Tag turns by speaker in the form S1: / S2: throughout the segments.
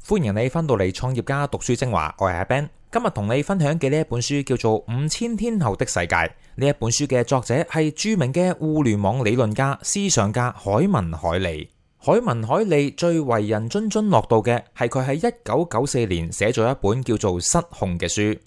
S1: 歡迎你返到嚟創業家讀書精華，我係阿 Ben。今日同你分享嘅呢一本書叫做《5000天後的世界》。呢一本書嘅作者係著名嘅互聯網理論家、思想家海文凱利。海文凱利最為人津津樂道嘅係佢喺1994年寫咗一本叫做《失控》嘅書。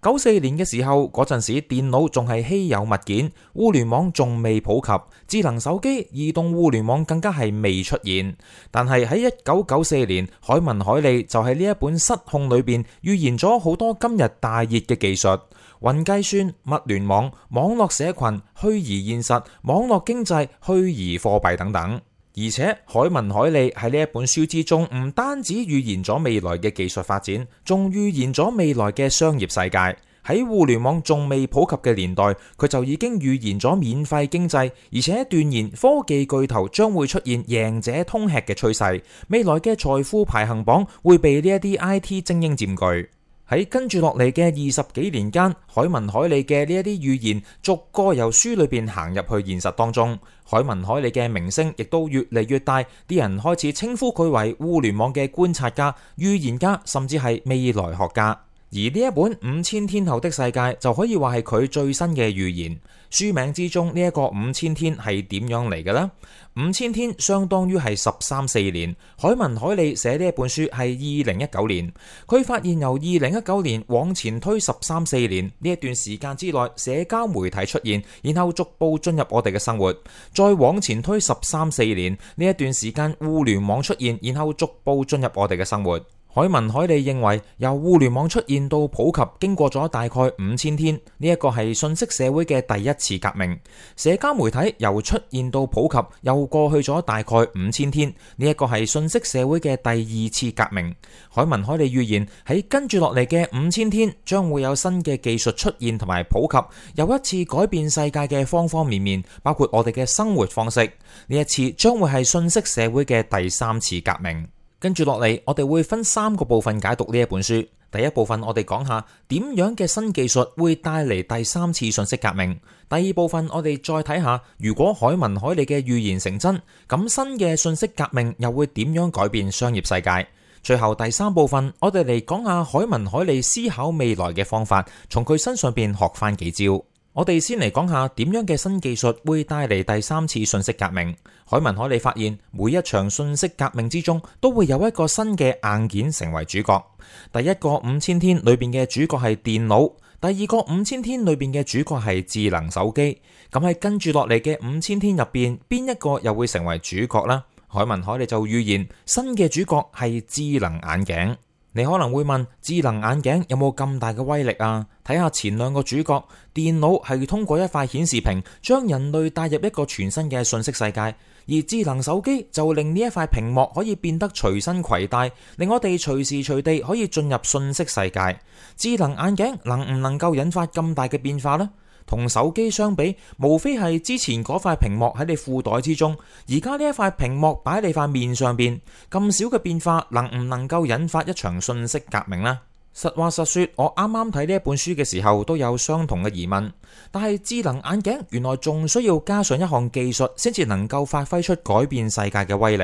S1: 94年嘅時候，嗰陣時電腦仲係稀有物件，互聯網仲未普及，智能手機、移動互聯網更加係未出現。但係喺1994年，海文凱利就喺呢一本《失控》裏邊預言咗好多今日大熱嘅技術，雲計算、物聯網、網絡社群、虛擬現實、網絡經濟、虛擬貨幣等等。而且海文凱利喺呢一本書之中，唔單止預言咗未來嘅技術發展，仲預言咗未來嘅商業世界。喺互聯網仲未普及嘅年代，佢就已經預言咗免費經濟，而且斷言科技巨頭將會出現贏者通吃嘅趨勢。未來嘅財富排行榜會被呢一啲 IT 精英佔據。喺跟住落嚟嘅20幾年間，海文凱利嘅呢一啲預言逐個由書裏邊行入去現實當中。海文凱利嘅名聲亦都越嚟越大，啲人開始稱呼佢為互聯網嘅觀察家、預言家，甚至係未來學家。而呢一本5000天後的世界就可以話係佢最新嘅預言。書名之中呢一個5000天係點樣嚟嘅呢？5000天相當於係13、14年。海文凱利寫呢一本書係2019年，佢發現由2019年往前推13、14年呢一段時間之內，社交媒體出現，然後逐步進入我哋嘅生活。再往前推13、14年呢一段時間，互聯網出現，然後逐步進入我哋嘅生活。海文凱利認為，由互聯網出現到普及，經過咗大概5000天，呢一個係信息社會嘅第一次革命。社交媒體由出現到普及，又過去咗大概5000天，呢一個係信息社會嘅第二次革命。海文凱利預言喺跟住落嚟嘅5000天，將會有新嘅技術出現同埋普及，又一次改變世界嘅方方面面，包括我哋嘅生活方式。呢一次將會係信息社會嘅第三次革命。跟住落嚟，我哋會分3個部分解讀呢一本書。第一部分我哋講下點樣嘅新技術會帶嚟第三次信息革命。第二部分我哋再睇下，如果海文凱利嘅預言成真，咁新嘅信息革命又會點樣改變商業世界？最後第3部分我哋嚟講下海文凱利思考未來嘅方法，從佢身上邊學翻幾招。我哋先嚟講下點樣嘅新技術會帶嚟第三次信息革命。海文凱利發現每一場信息革命之中都會有一個新嘅硬件成為主角。第一個5000天裏邊嘅主角係電腦，第二個5000天裏邊嘅主角係智能手機。咁喺跟住落嚟嘅5000天入邊，邊一個又會成為主角呢？海文凱利就預言新嘅主角係智能眼鏡。你可能會問，智能眼鏡有冇咁大嘅威力啊？睇下前2個主角，電腦係通過一塊顯示屏將人類帶入一個全新嘅信息世界，而智能手機就令呢一塊屏幕可以變得隨身攜帶，令我哋隨時隨地可以進入信息世界。智能眼鏡能唔能夠引發咁大嘅變化呢？同手機相比，無非係之前嗰塊屏幕喺你褲袋之中，而家呢一塊屏幕擺喺你塊面上邊，咁少嘅變化能唔能夠引發一場信息革命呢？實話實說，我啱啱睇呢一本書嘅時候都有相同嘅疑問，但係智能眼鏡原來仲需要加上一項技術先至能夠發揮出改變世界嘅威力。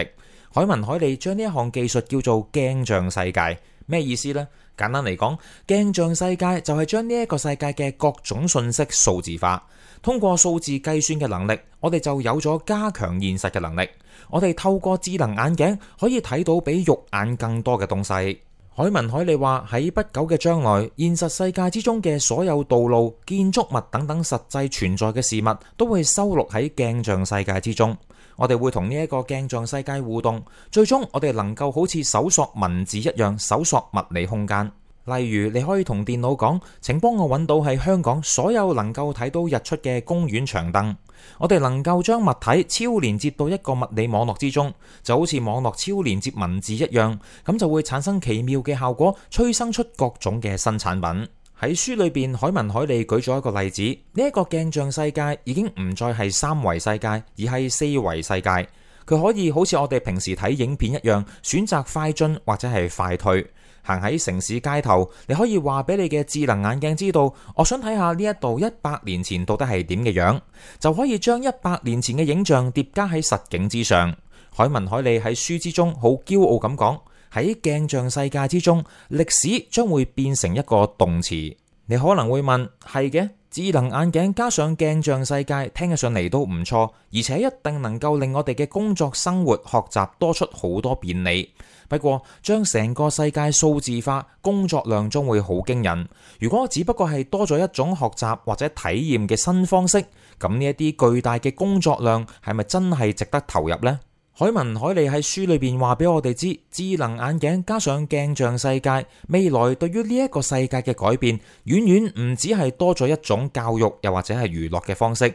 S1: 海文凱利將呢一項技術叫做鏡像世界，咩意思呢？簡單嚟講，鏡像世界就係將呢一個世界嘅各種信息數字化，通過數字計算嘅能力，我哋就有咗加強現實嘅能力。我哋透過智能眼鏡可以睇到比肉眼更多嘅東西。海文凱利話喺不久嘅將來，現實世界之中嘅所有道路、建築物等等實際存在嘅事物都會收錄喺鏡像世界之中。我哋會同呢一個鏡像世界互動，最終我哋能夠好似搜索文字一樣搜索物理空間。例如，你可以同電腦講，請幫我揾到喺香港所有能夠睇到日出嘅公園長凳。我哋能夠將物體超連接到一個物理網絡之中，就好似網絡超連接文字一樣，咁就會產生奇妙嘅效果，催生出各種嘅新產品。喺書裏邊，海文凱利舉咗一個例子，呢一個鏡像世界已經唔再係3維世界，而係4維世界。佢可以好似我哋平時睇影片一樣，選擇快進或者係快退。行喺城市街頭，你可以話俾你嘅智能眼鏡知道，我想睇下呢一度100年前到底係點嘅樣，就可以將100年前嘅影像疊加喺實景之上。海文凱利喺書之中好驕傲咁講，喺鏡像世界之中，歷史將會變成一個動詞。你可能會問，係嘅，智能眼鏡加上鏡像世界，聽起上嚟都唔錯，而且一定能夠令我哋嘅工作、生活、學習多出好多便利。不過，將成個世界數字化，工作量將會好驚人。如果只不過係多咗一種學習或者體驗嘅新方式，咁呢一啲巨大嘅工作量係咪真係值得投入呢？海文凱利喺書裏邊話俾我哋知，智能眼鏡加上鏡像世界，未來對於呢一個世界嘅改變，遠遠唔止係多咗一種教育又或者係娛樂嘅方式。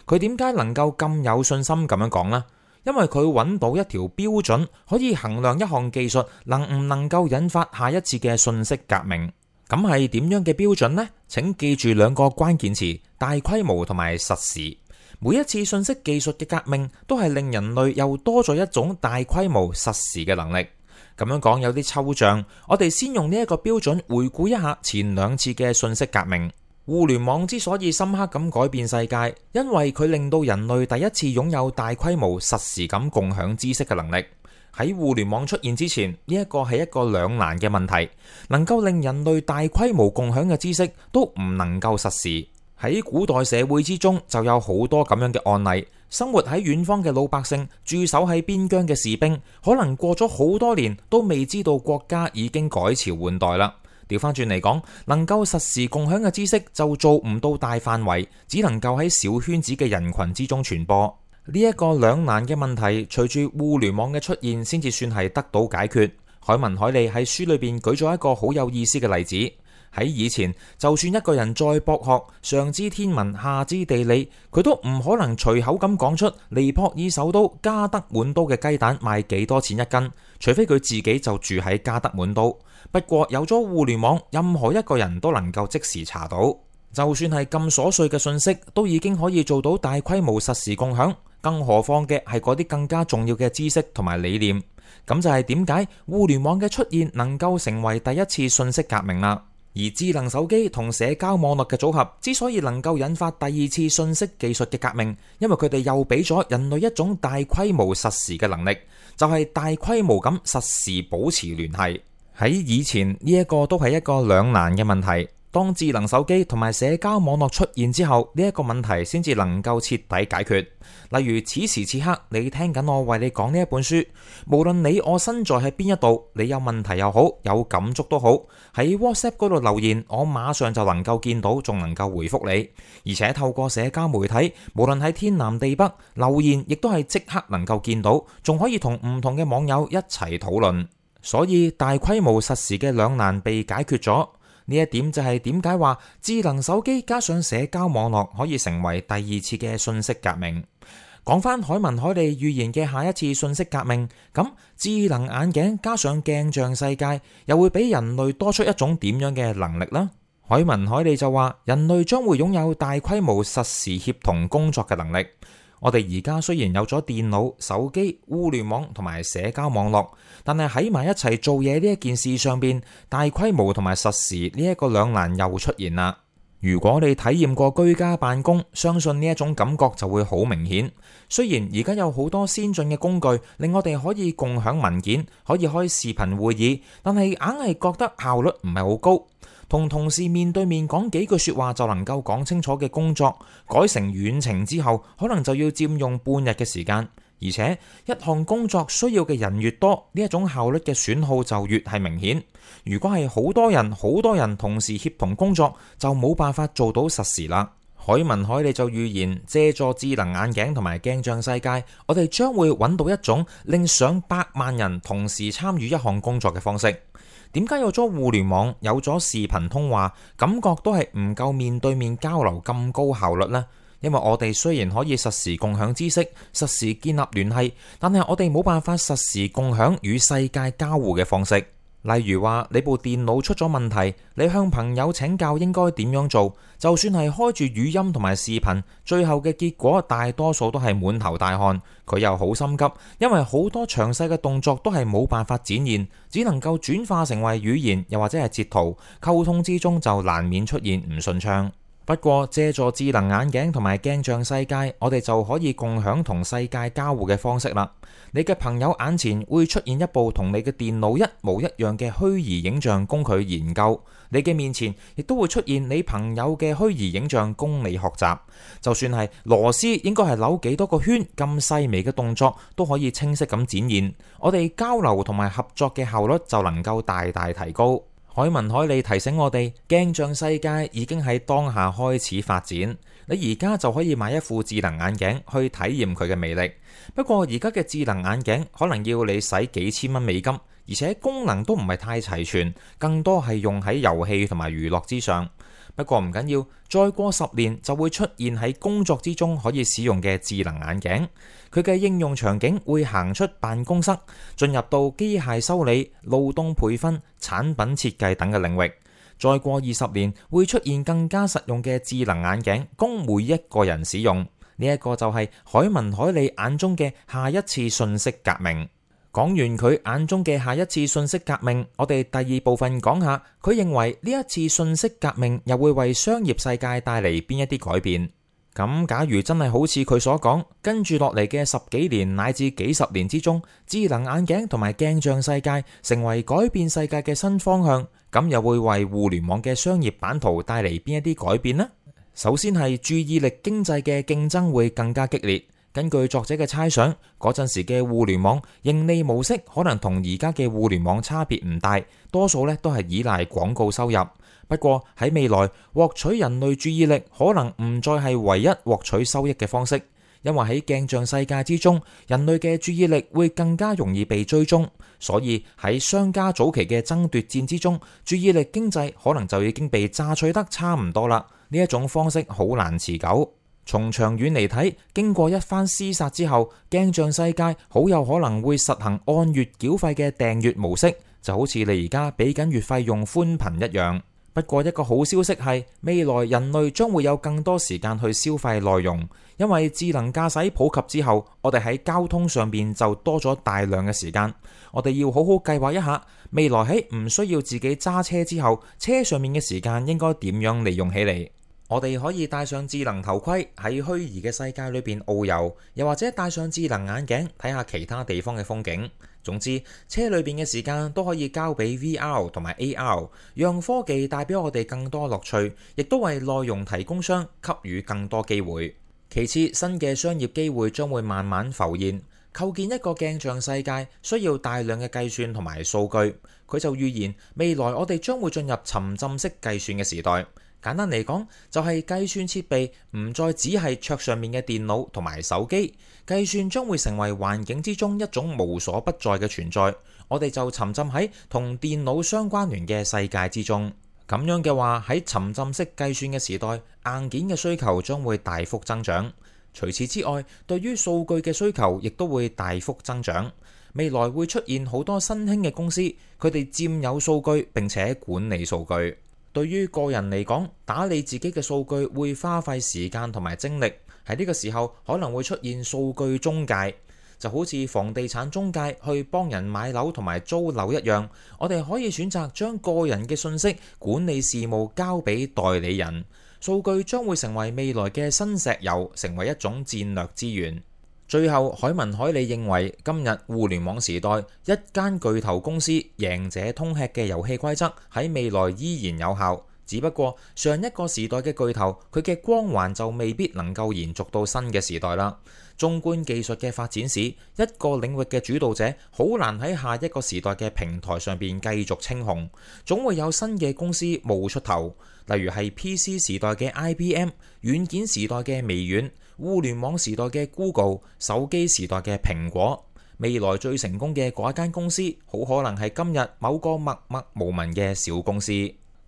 S1: 佢點解能夠咁有信心咁樣講呢？因為佢揾到一條標準，可以衡量一項技術能唔能夠引發下一次嘅信息革命。咁係點樣嘅標準呢？請記住兩個關鍵詞：大規模同埋實時。每一次信息技術嘅革命，都係令人類又多咗一種大規模實時嘅能力。咁樣講有啲抽象，我哋先用呢一個標準回顧一下前兩次嘅信息革命。互聯網之所以深刻咁改變世界，因為佢令到人類第一次擁有大規模實時咁共享知識嘅能力。喺互聯網出現之前，呢一個係一個兩難嘅問題，能夠令人類大規模共享嘅知識都唔能夠實時。喺古代社會之中就有好多咁樣嘅案例，生活喺遠方嘅老百姓，駐守喺邊疆嘅士兵，可能過咗好多年都未知道國家已經改朝換代啦。調翻轉嚟講，能夠實時共享嘅知識就做唔到大範圍，只能夠喺小圈子嘅人群之中傳播。呢一個兩難嘅問題，隨住互聯網嘅出現，先至算係得到解決。海文凱利喺書裏邊舉咗一個好有意思嘅例子。喺以前，就算一個人再博學，上知天文下知地理，佢都唔可能隨口咁講出尼泊爾首都加德滿都嘅雞蛋賣幾多錢一斤，除非佢自己就住喺加德滿都。不過有咗互聯網，任何一個人都能夠即時查到，就算係咁瑣碎嘅信息，都已經可以做到大規模實時共享，更何況嘅係嗰啲更加重要嘅知識同埋理念。咁就係點解互聯網嘅出現能夠成為第一次信息革命啦。而智能手機同社交網絡嘅組合之所以能夠引發第二次信息技術嘅革命，因為佢哋又俾咗人類一種大規模實時嘅能力，就係大規模咁實時保持聯繫。喺以前呢一個都係一個兩難嘅問題，當智能手機同埋社交網絡出現之後，呢一個問題先至能夠徹底解決。例如此時此刻你聽緊我為你講呢一本書，無論你我身在喺邊一度，你有問題又好，有感觸都好，喺 WhatsApp 嗰度留言，我馬上就能夠見到，仲能夠回覆你。而且透過社交媒體，無論喺天南地北留言，亦都係即刻能夠見到，仲可以同唔同嘅網友一齊討論。所以大規模實時嘅兩難被解決咗。呢一點就係點解話智能手機加上社交網絡可以成為第二次嘅信息革命。講翻海文凱利預言嘅下一次信息革命，咁智能眼鏡加上鏡像世界又會俾人類多出一種點樣嘅能力呢？海文凱利就話人類將會擁有大規模實時協同工作嘅能力。我哋而家雖然有咗電腦、手機、互聯網同埋社交網絡，但係喺埋一齊做嘢呢一件事上邊，大規模同埋實時呢一個兩難又出現啦。如果你體驗過居家辦公，相信呢一種感覺就會好明顯。雖然而家有好多先進嘅工具，令我哋可以共享文件，可以開視頻會議，但係硬係覺得效率唔係好高。同同事面對面講幾句說話就能夠講清楚嘅工作，改成遠程之後，可能就要佔用半日嘅時間。而且一項工作需要嘅人越多，呢一種效率嘅損耗就越係明顯。如果係好多人同時協同工作，就冇辦法做到實時啦。海文凱利就預言，借助智能眼鏡同埋鏡像世界，我哋將會揾到一種令上百萬人同時參與一項工作嘅方式。點解有咗互聯網，有咗視頻通話，感覺都係唔夠面對面交流咁高效率呢？因為我哋雖然可以實時共享知識，實時建立聯繫，但係我哋冇辦法實時共享與世界交互嘅方式。例如話你部電腦出咗問題，你向朋友請教應該點樣做，就算係開住語音同埋視頻，最後嘅結果大多數都係滿頭大汗，佢又好心急，因為好多詳細嘅動作都係冇辦法展現，只能夠轉化成為語言又或者係截圖，溝通之中就難免出現唔順暢。不過借助智能眼鏡同埋鏡像世界，我哋就可以共享同世界交互嘅方式啦。你嘅朋友眼前會出現一部同你嘅電腦一模一樣嘅虛擬影像供佢研究，你嘅面前亦都會出現你朋友嘅虛擬影像供你學習。就算係螺絲應該係扭幾多個圈咁細微嘅動作，都可以清晰咁展現。我哋交流同埋合作嘅效率就能夠大大提高。海文凱利提醒我哋，鏡像世界已經喺當下開始發展。你而家就可以買一副智能眼鏡去體驗佢嘅魅力。不過而家嘅智能眼鏡可能要你使幾千蚊美金，而且功能都唔係太齊全，更多係用喺遊戲同埋娛樂之上。不過唔緊要，再過10年就會出現喺工作之中可以使用嘅智能眼鏡。佢嘅應用場景會行出辦公室，進入到機械修理、勞動培訓、產品設計等嘅領域。再過20年會出現更加實用嘅智能眼鏡，供每一個人使用。呢一個就係海文凱利眼中嘅下一次信息革命。講完佢眼中嘅下一次信息革命，我哋第二部分講下佢認為呢一次信息革命又會為商業世界帶嚟邊一啲改變。咁假如真係好似佢所講，跟住落嚟嘅10幾年乃至幾十年之中，智能眼鏡同埋鏡像世界成為改變世界嘅新方向，咁又會為互聯網嘅商業版圖帶嚟邊一啲改變呢？首先係注意力經濟嘅競爭會更加激烈。根據作者嘅猜想，嗰陣時嘅互聯網盈利模式可能同而家嘅互聯網差別唔大，多數都係依賴廣告收入。不過喺未來，獲取人類注意力可能唔再係唯一獲取收益嘅方式，因為喺鏡像世界之中，人類嘅注意力會更加容易被追蹤，所以喺商家早期嘅爭奪戰之中，注意力經濟可能就已經被榨取得差唔多啦。呢一種方式好難持久。從長遠嚟睇，經過一番廝殺之後，鏡像世界好有可能會實行按月繳費嘅訂閱模式，就好似你而家俾緊月費用寬頻一樣。不過一個好消息係，未來人類將會有更多時間去消費內容，因為智能駕駛普及之後，我哋喺交通上邊就多咗大量嘅時間。我哋要好好計劃一下，未來喺唔需要自己揸車之後，車上面嘅時間應該點樣利用起嚟。我哋可以戴上智能頭盔喺虛擬嘅世界裏邊遨遊，又或者戴上智能眼鏡睇下其他地方嘅風景。總之，車裏邊嘅時間都可以交俾 VR 同埋 AR， 讓科技帶俾我哋更多樂趣，亦都為內容提供商給予更多機會。其次，新嘅商業機會將會慢慢浮現。構建一個鏡像世界需要大量嘅計算同埋數據。佢就預言未來我哋將會進入沉浸式計算嘅時代。簡單嚟講，就係計算設備唔再只係桌上面嘅電腦同埋手機，計算將會成為環境之中一種無所不在嘅存在。我哋就沉浸喺同電腦相關聯嘅世界之中。咁樣嘅話，喺沉浸式計算嘅時代，硬件嘅需求將會大幅增長。除此之外，對於數據嘅需求亦都會大幅增長。未來會出現好多新興嘅公司，佢哋佔有數據並且管理數據。對於個人嚟講，打理自己嘅數據會花費時間同埋精力。喺呢個時候可能會出現數據中介，就好似房地產中介去幫人買樓同埋租樓一樣。我哋可以選擇將個人嘅信息管理事務交俾代理人。數據將會成為未來嘅新石油，成為一種戰略資源。最後，海文凱利認為今日互聯網時代，一間巨頭公司贏者通吃嘅遊戲規則喺未來依然有效，只不過上一個時代嘅巨頭，佢嘅光環就未必能夠延續到新嘅時代啦。縱觀技術嘅發展史，一個領域嘅主導者好難喺下一個時代嘅平台上邊繼續稱雄，總會有新嘅公司冒出頭，例如係 PC 時代嘅 IBM、軟件時代嘅微軟、互聯網時代嘅 Google、手機時代嘅蘋果。未來最成功嘅嗰一間公司，好可能係今日某個默默無聞嘅小公司。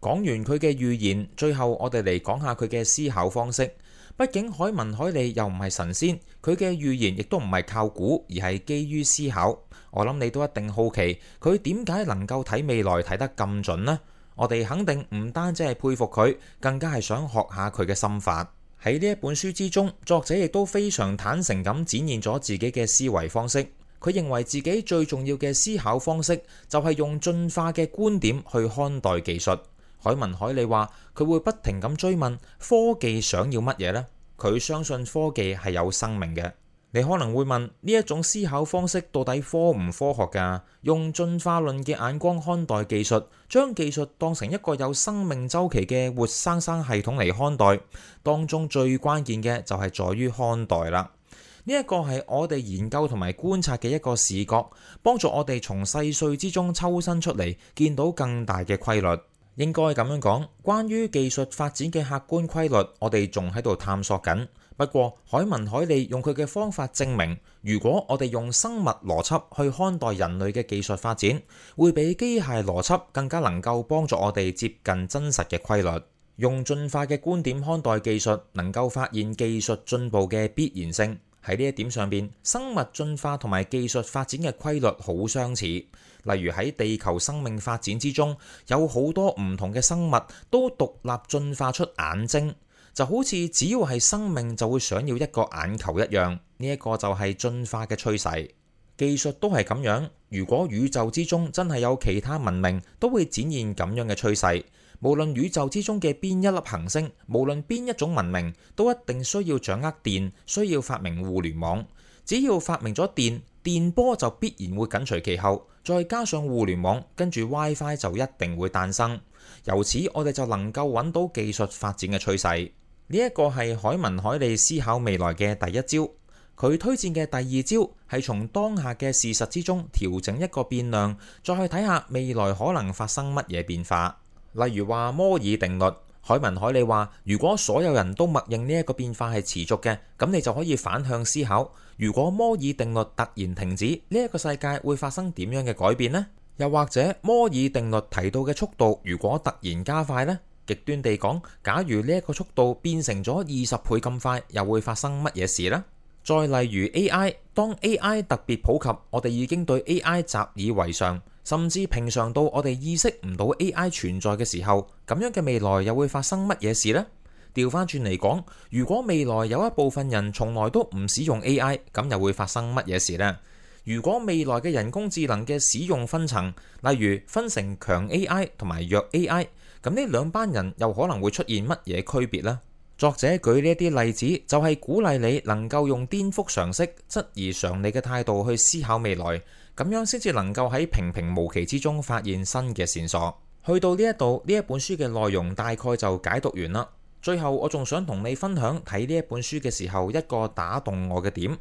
S1: 講完佢嘅預言，最後我哋嚟講下佢嘅思考方式。畢竟海文凱利又唔係神仙，佢嘅預言亦都唔係靠估，而係基於思考。我諗你都一定好奇，佢點解能夠睇未來睇得咁準呢？我哋肯定唔單止係佩服佢，更加係想學下佢嘅心法。喺呢一本書之中，作者亦都非常坦誠咁展現咗自己嘅思維方式。佢認為自己最重要嘅思考方式就係用進化嘅觀點去看待技術。海文凱利話佢會不停咁追問科技想要乜嘢呢？佢相信科技係有生命嘅。你可能會問呢一種思考方式到底科唔科學㗎？用進化論嘅眼光看待技術，將技術當成一個有生命週期嘅活生生系統嚟看待，當中最關鍵嘅就係在於看待啦。呢一個係我哋研究同埋觀察嘅一個視覺，幫助我哋從細碎之中抽身出嚟，見到更大嘅規律。應該咁樣講，關於技術發展嘅客觀規律，我哋仲喺度探索緊。不過海文凱利用佢嘅方法證明，如果我哋用生物邏輯去看待人類嘅技術發展，會比機械邏輯更加能夠幫助我哋接近真實嘅規律。用進化嘅觀點看待技術，能夠發現技術進步嘅必然性。喺呢一點上邊，生物進化同埋技術發展嘅規律好相似。例如喺地球生命發展之中，有好多唔同嘅生物都獨立進化出眼睛。就好似只要係生命就會想要一個眼球一樣，呢一個就係進化嘅趨勢。技術都係咁樣，如果宇宙之中真係有其他文明，都會展現咁樣嘅趨勢。無論宇宙之中嘅邊一粒行星，無論邊一種文明，都一定需要掌握電，需要發明互聯網。只要發明咗電，電波就必然會緊隨其後，再加上互聯網，跟住 WiFi 就一定會誕生。由此我哋就能夠揾到技術發展嘅趨勢。呢一個係海文凱利思考未來嘅第一招，佢推薦嘅第二招係從當下嘅事實之中調整一個變量，再去睇下未來可能發生乜嘢變化。例如話摩爾定律，海文凱利話如果所有人都默認呢一個變化係持續嘅，咁你就可以反向思考，如果摩爾定律突然停止，呢一個世界會發生點樣嘅改變呢？又或者摩爾定律提到嘅速度如果突然加快呢？極端地講，假如呢一個速度變成咗20倍咁快，又會發生乜嘢事呢？再例如 AI， 當 AI 特別普及，我哋已經對 AI 習以為常，甚至平常到我哋意識唔到 AI 存在嘅時候，咁樣嘅未來又會發生乜嘢事呢？調翻轉嚟講，如果未來有一部分人從來都唔使用 AI， 咁又會發生乜嘢事呢？如果未來嘅人工智能嘅使用分層，例如分成強 AI 同埋弱 AI，咁呢兩班人又可能會出現乜嘢區別呢？作者舉呢一啲例子，就係鼓勵你能夠用顛覆常識、質疑常理嘅態度去思考未來，咁樣先至能夠喺平平無奇之中發現新嘅線索。去到呢一度，呢一本書嘅內容大概就解讀完啦。最後我仲想同你分享睇呢一本書嘅時候一個打動我嘅點。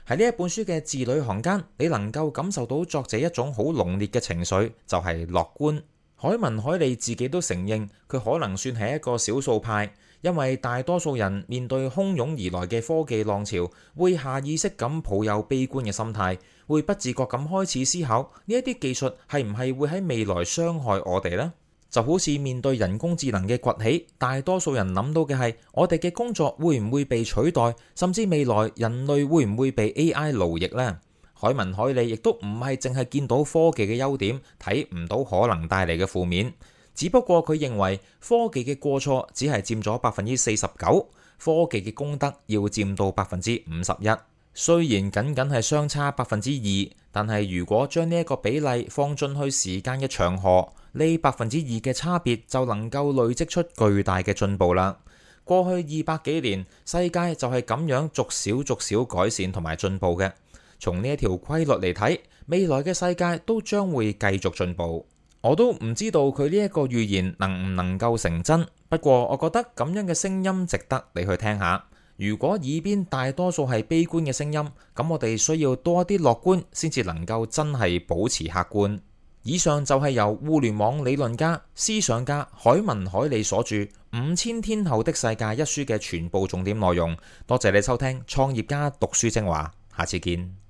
S1: 喺呢一本書嘅字裏行間，你能夠感受到作者一種好濃烈嘅情緒，就係樂觀。海文凱利自己都承認，佢可能算係一個少數派，因為大多數人面對洶湧而來嘅科技浪潮，會下意識咁抱有悲觀嘅心態，會不自覺咁開始思考呢一啲技術係唔係會喺未來傷害我哋呢？就好似面對人工智能嘅崛起，大多數人諗到嘅係我哋嘅工作會唔會被取代，甚至未來人類會唔會被 AI 奴役呢？海文凱利亦都唔係淨係見到科技嘅優點，睇唔到可能帶嚟嘅負面。只不過佢認為科技嘅過錯只係佔咗49%，科技嘅功德要佔到51%。雖然僅僅係相差2%，但係如果將呢一個比例放進去時間嘅長河，呢2%嘅差別就能夠累積出巨大嘅進步啦。過去200幾年，世界就係咁樣逐少改善同埋進步嘅。從呢一條規律嚟睇，未來嘅世界都將會繼續進步。我都唔知道佢呢一個預言能唔能夠成真，不過我覺得咁樣嘅聲音值得你去聽下。如果耳邊大多數係悲觀嘅聲音，咁我哋需要多一啲樂觀，先至能夠真係保持客觀。以上就係由互聯網理論家、思想家海文凱利所著《5000天後的世界》一書嘅全部重點內容。多謝你收聽創業家讀書精華，下次見。